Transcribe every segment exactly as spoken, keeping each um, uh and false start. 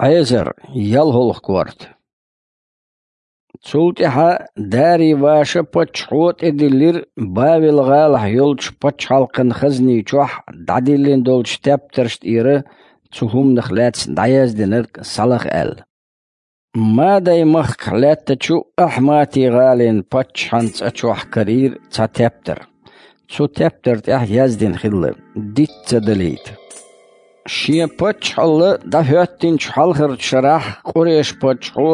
Ӏезар, ялхолгӀа корта. Цул тӀаьхьа Дарий-Ваша паччахьо тӀедиллира Бавел-гӀалахь йолчу паччахьалкхан хазни чохь дӀадиллина долчу тептарш тӀера цу хӀуманах лаьцна дӀаяздинарг схьалаха аьлла. Мадай-махкахь лаьттачу Ахьмати-гӀалин паччахьан цӀа чохь карийра цхьа тептар. Цу тептар тӀехь яздина хилла: «Диц ца далийта». Шен паччахьалла дӀахӀоьттинчу хьалхарчу шарахь Къуреш-паччахьо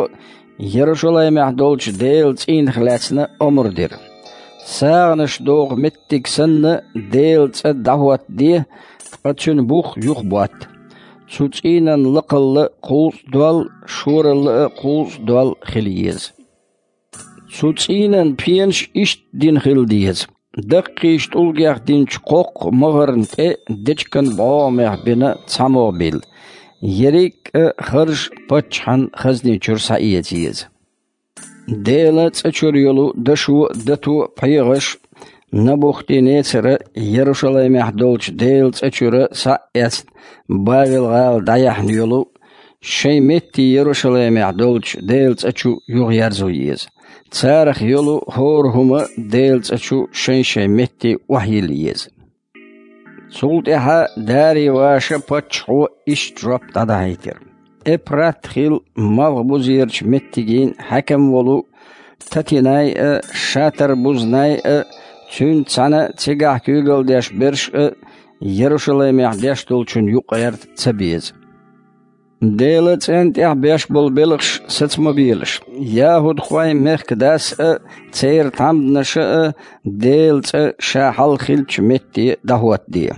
Ярушалаймехь долчу Делан цӀийнах лаьцна омра дира. СагӀанаш доху меттиг санна, Делан цӀа дӀахӀоттаде, ткъа цуьнан бух юхаботта. Цу цӀийнан лакхалла кхузткъа дола, шоралла а кхузткъа дола хила еза. Цу цӀийнан пенаш иштта дина хила деза: даккхийчу тӀулгех динчу кхоккха могӀарна тӀе дечиган бӀогӀамех бина цхьа могӀа билла, ерриг а харж паччахьан хазни чуьра схьаэца еза. Делан цӀа чуьра йолу дашо а, дато а, пхьегӀаш а Набухти-Нецара Ярушалаймехь долчу Делан цӀа чуьра схьа а эцна, Бавел-гӀала дӀаяьхьна йолу шайн метте Ярушалаймехь долчу Делан цӀа чу юхаерзо еза. Царах йолу хӀора хӀума Делан цӀа чу шайн-шайн метте охьайилла еза. Цул тӀаьхьа Дарий-Ваша паччахьо иштта жоп дӀадахьийтира: Эпрат-хил малхбузерачу меттигийн хьаькам волу Татинай а, Шатар-Бузнай а, цуьнца цхьаьна цигахь куьйгалла деш берш а Ярушалаймехь деш долчунна юкъагӀерта ца беза. Делан цӀенна тӀехь беш болу белхаш саца ма белаш, яхӀудхойн мехкан дас а, церан тхьамданаша а Делан цӀа ша хьалха хиллачу метте дӀахӀоттаде.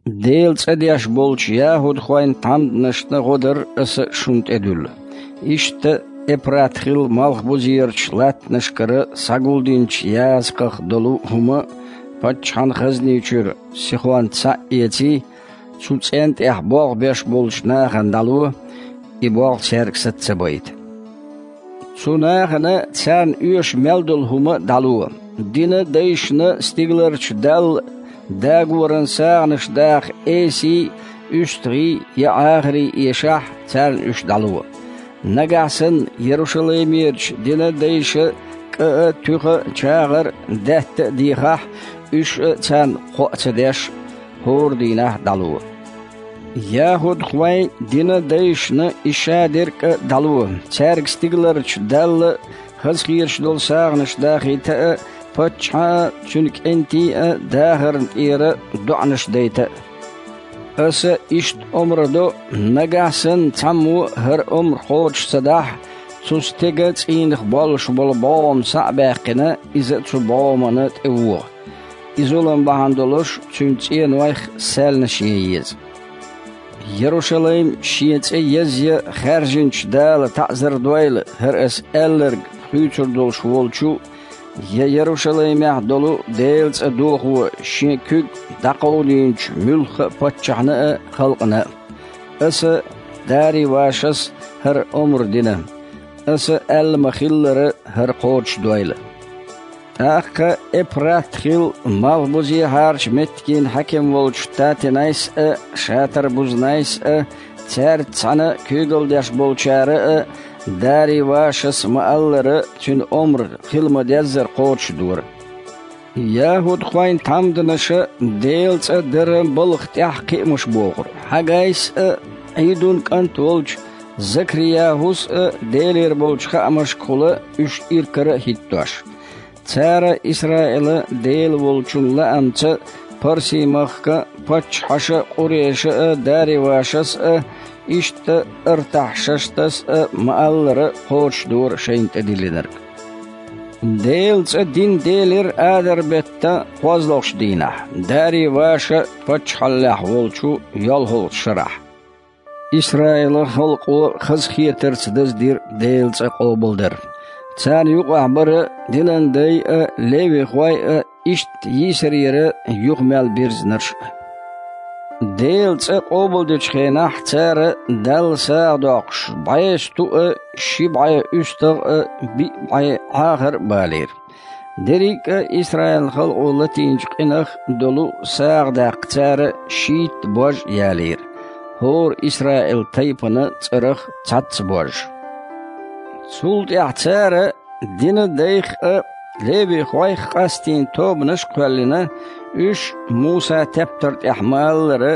Делан цӀа деш болчу яхӀудхойн тхьамданашна гӀо дар аса шуна тӀедуьллу. Иштта Эпрат-хил малхбузерачу латтанашкара схьагулдинчу язкъах долу хӀума паччахьан хазни чуьра сихонца схьа а эций, цу цӀенна тӀехь болх беш болчу нахана дӀало, и болх цаьрга саца ца байта. Цу нахана царна оьшу мел долу хӀума дӀало. Динан дайшна стигаларчу Далла дагоран сагӀанаш даха эсий, уьстагӀий я Ӏахарий эшахь, царна уьш дӀало. Нагахь санна Ярушалаймерачу динан дайша кӀа а, туьха а, чагӀар а, даьтта а дехахь, уьш а царна кхоа ца деш, хӀора дийнахь дӀало. ЯхӀудхойн динан дайшна и шадерг а дӀало, цаьрга стигаларчу Далла хазахеташ долу сагӀанаш дахийта а, паччахьан а, цуьнан кӀентийн а дахарна тӀера доӀанаш дайта а. Аса иштта омра до, нагахь санна цхьаммо а хӀара омра кхочуш ца дахь, цу стеган цӀийнах боллуш болу бӀогӀам схьа а баьккхина, иза цу бӀогӀамана тӀевогӀу. И зулам бахьана долуш цуьнан цӀенойх саьлнаш ян еза. Ярушалайм шен цӀе езъян хаьржинчу Дала таӀзар дойла, хӀара ас аьлларг хуьйцур долуш волчу, я Ярушалаймехь долу Делан цӀа дохо шен куьг дӀакховдийначу муьлхха а паччахьна а, халкъана а. Аса Дарий-Вашас хӀара омра дина. Аса аьлла ма-хиллара, хӀара кхочушдойла. ТӀаккха Эпрат-хил малхбузехьарчу меттигийн хьаькам волчу Татинайс а, Шатар-Бузнайс а, цаьрца цхьаьна куьйгалла деш болчара а Дарий-Вашас ма-аллара, цуьнан омра хила ма-деззара кхочушдора. ЯхӀудхойн тхьамданаша Делан цӀа даран балха тӀехь кхиамаш бохура. Хьаггайс а, Ӏийдун кӀант волчу Закри-ЯхӀус а Делера болчу хаамашкахула уьш иракара а хӀиттош. Цара Исраилан Дела волчун лаамца Парси-махкан паччахьаша Къуреша а, Дарий-Вашас а, иштта Артахьшаштас а ма-аллара кхочушдора шайна тӀедиллинарг. Делан цӀа дин делира адар-беттан кхозлагӀчу дийнахь, Дарий-Ваша паччахьаллехь волчу йолхалгӀачу шарахь. Исраилан халкъо хазахетарца даздира Делан цӀа къобалдар. Царна юкъахь бара динан дай а, левихой а, иштта йийсарера юха мел бирзинарш а. Делан цӀа къобалдечу хенахь цара Далла сагӀа доккхуш, бӀе сту а, ши бӀе уьстагӀ а, биъ бӀе Ӏахар а балийра. Дерриг а Исраилан халкъо латийначу къинах долу сагӀа даккха цара шийтта бож а ялийра. хӀора Исраил тайпана цӀарах цхьацца божжа. Цул тӀаьхьа цара дина дайх а, левихойх а къастийна тобанаш а кхоьллина, уьш Муса тептар тӀехь ма-аллара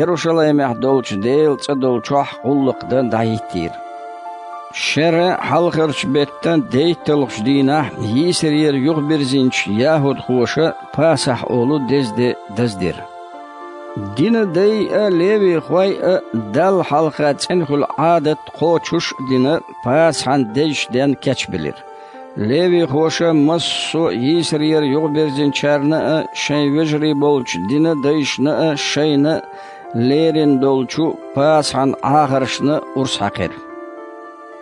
Ярушалаймехь долчу Делан цӀа долчохь гӀуллакх дан дӀахӀиттийра. Шеран хьалхарчу беттан дейтталгӀачу дийнахь йийсарера юхабирзинчу яхӀудхоша Пасахь олу деза де даздира. Дина дай а, левихой а Далла хьалха цӀена хуьлу Ӏадат кхочуш а дина, Пасахьан дезачу денна кечбелира. Левихоша массо а йийсарера юхабирзинчарна а, шайн вежарий болчу дина дайшна а шайна а лерина долчу Пасахьан Ӏахаршна урс хьаькхира.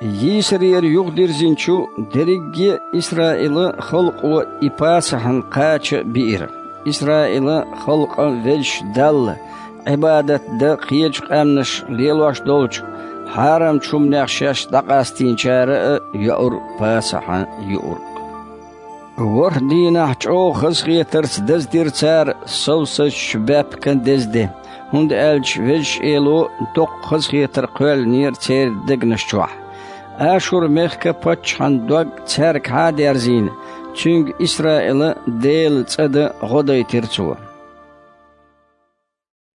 Йийсарера юхадирзинчу дерриге а Исраилан халкъо и Пасахьан кхача а биира. Исраилан халкъан Везачу Далла Ӏибадат дан кхечу къаьмнаш лелош долчу хьарамчу хӀуманех шаьш дӀакъастийначара а йоура Пасахьан юург. ВорхӀ дийнахь чӀогӀа хазахетарца даздира цара совсазчу баьпкан деза де, хӀунда аьлча Везачу Эло доккха хазахетар кхоьллинера церан дегнаш чохь. Ашур-мехкан паччахьан дог цаьргахьа а дерзийна, цуьнга Исраилан Делан цӀа дан гӀо дайтира цо.